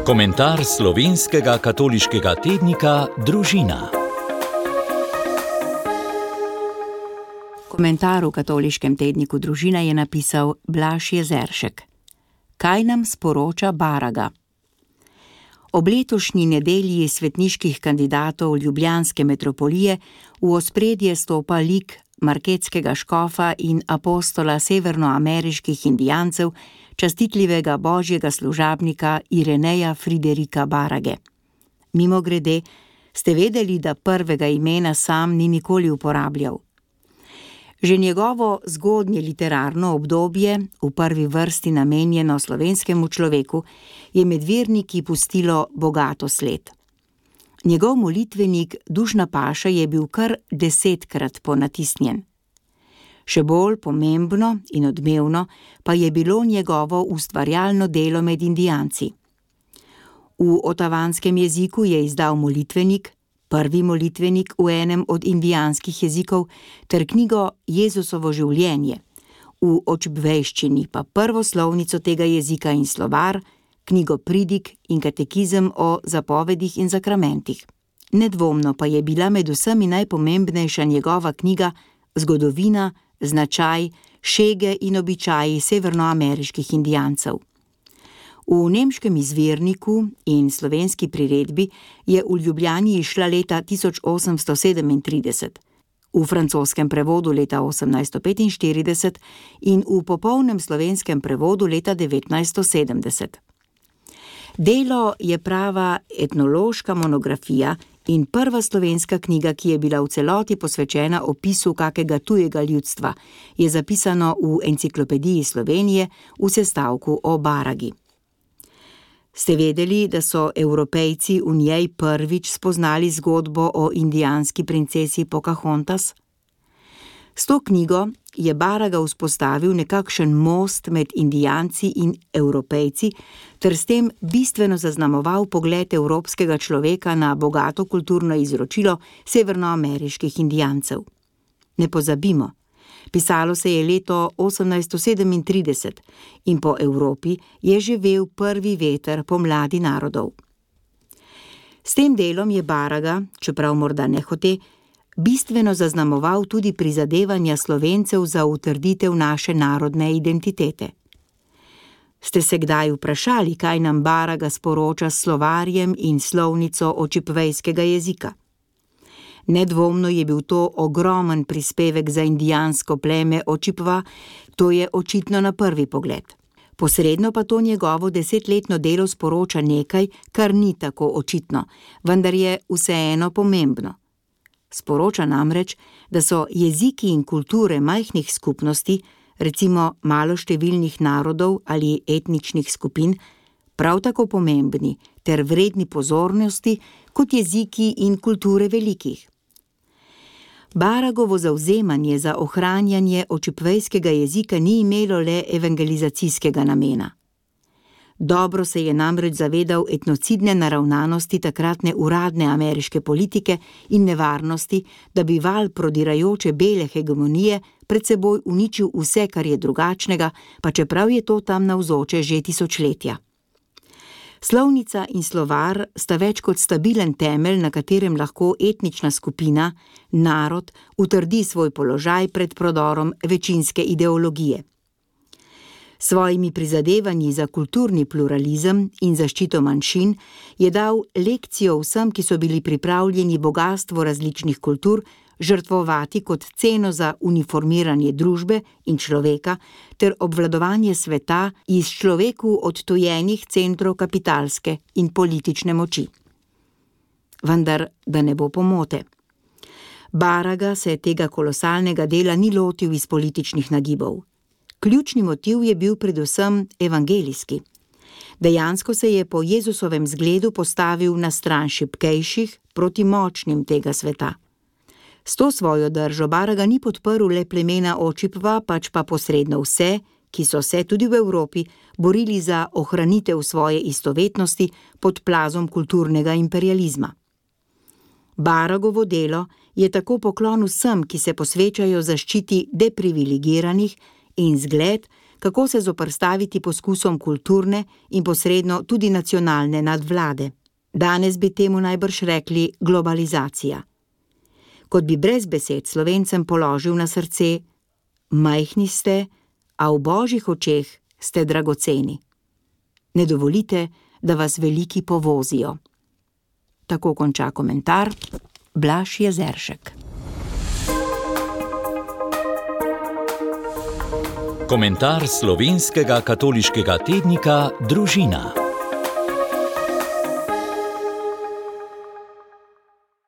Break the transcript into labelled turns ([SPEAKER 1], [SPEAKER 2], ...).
[SPEAKER 1] Komentar slovenskega katoliškega tednika Družina.
[SPEAKER 2] Komentar v katoliškem tedniku Družina je napisal Blaž Jezeršek. Kaj nam sporoča Baraga? Ob letošnji nedelji svetniških kandidatov ljubljanske metropolije v ospredje stopa lik marketskega škofa in apostola severnoameriških indijancev, častitljivega božjega služabnika Ireneja Friderika Barage. Mimogrede, ste vedeli, da prvega imena sam ni nikoli uporabljal? Že njegovo zgodnje literarno obdobje, v prvi vrsti namenjeno slovenskemu človeku, je med verniki pustilo bogato sled. Njegov molitvenik Dušna paša je bil kar 10-krat ponatisnjen. Še bolj pomembno in odmevno pa je bilo njegovo ustvarjalno delo med Indijanci. V otavanskem jeziku je izdal molitvenik, prvi molitvenik v enem od indijanskih jezikov, ter knjigo Jezusovo življenje, v očbvejščini pa prvo slovnico tega jezika in slovar, knjigo Pridig in katekizem o zapovedih in zakramentih. Nedvomno pa je bila med vsemi najpomembnejša njegova knjiga Zgodovina, značaj, šege in običaji severnoameriških Indijancev. V nemškem izvirniku in slovenski priredbi je v Ljubljani izšla leta 1837, v francoskem prevodu leta 1845 in v popolnem slovenskem prevodu leta 1970. Delo je prava etnološka monografija in prva slovenska knjiga, ki je bila v celoti posvečena opisu kakega tujega ljudstva, je zapisano v Enciklopediji Slovenije v sestavku o Baragi. Ste vedeli, da so Evropejci v njej prvič spoznali zgodbo o indijanski princesi Pocahontas? S to knjigo je Baraga vzpostavil nekakšen most med Indijanci in Evropejci ter s tem bistveno zaznamoval pogled evropskega človeka na bogato kulturno izročilo severnoameriških Indijancev. Ne pozabimo, pisalo se je leto 1837 in po Evropi je živel prvi veter pomladi narodov. S tem delom je Baraga, čeprav morda nehote, bistveno zaznamoval tudi prizadevanja Slovencev za utrditev naše narodne identitete. Ste se kdaj vprašali, kaj nam Baraga sporoča s slovarjem in slovnico očipvejskega jezika? Nedvomno je bil to ogromen prispevek za indijansko pleme Očipva, to je očitno na prvi pogled. Posredno pa to njegovo 10-letno delo sporoča nekaj, kar ni tako očitno, vendar je vseeno pomembno. Sporoča namreč, da so jeziki in kulture majhnih skupnosti, recimo maloštevilnih narodov ali etničnih skupin, prav tako pomembni ter vredni pozornosti kot jeziki in kulture velikih. Baragovo zavzemanje za ohranjanje očipvejskega jezika ni imelo le evangelizacijskega namena. Dobro se je namreč zavedal etnocidne naravnanosti takratne uradne ameriške politike in nevarnosti, da bi val prodirajoče bele hegemonije pred seboj uničil vse, kar je drugačnega, pa čeprav je to tam navzoče že tisočletja. Slovnica in slovar sta več kot stabilen temelj, na katerem lahko etnična skupina, narod, utrdi svoj položaj pred prodorom večinske ideologije. Svojimi prizadevanji za kulturni pluralizem in zaščito manjšin je dal lekcijo vsem, ki so bili pripravljeni bogastvo različnih kultur žrtvovati kot ceno za uniformiranje družbe in človeka ter obvladovanje sveta iz človeku odtujenih centrov kapitalske in politične moči. Vendar, da ne bo pomote. Baraga se tega kolosalnega dela ni lotil iz političnih nagibov. Ključni motiv je bil predvsem evangelijski. Dejansko se je po Jezusovem zgledu postavil na stran šibkejših proti močnim tega sveta. S to svojo držo Baraga ni podprl le plemena Očipva, pač pa posredno vse, ki so se tudi v Evropi borili za ohranitev svoje istovetnosti pod plazom kulturnega imperializma. Baragovo delo je tako poklon vsem, ki se posvečajo zaščiti deprivilegiranih in zgled, kako se zoperstaviti poskusom kulturne in posredno tudi nacionalne nadvlade. Danes bi temu najbrž rekli globalizacija. Kot bi brez besed Slovencem položil na srce: majhni ste, a v božjih očeh ste dragoceni. Ne dovolite, da vas veliki povozijo. Tako konča komentar Blaž Jezeršek.
[SPEAKER 1] Komentar slovenskega katoliškega tednika Družina.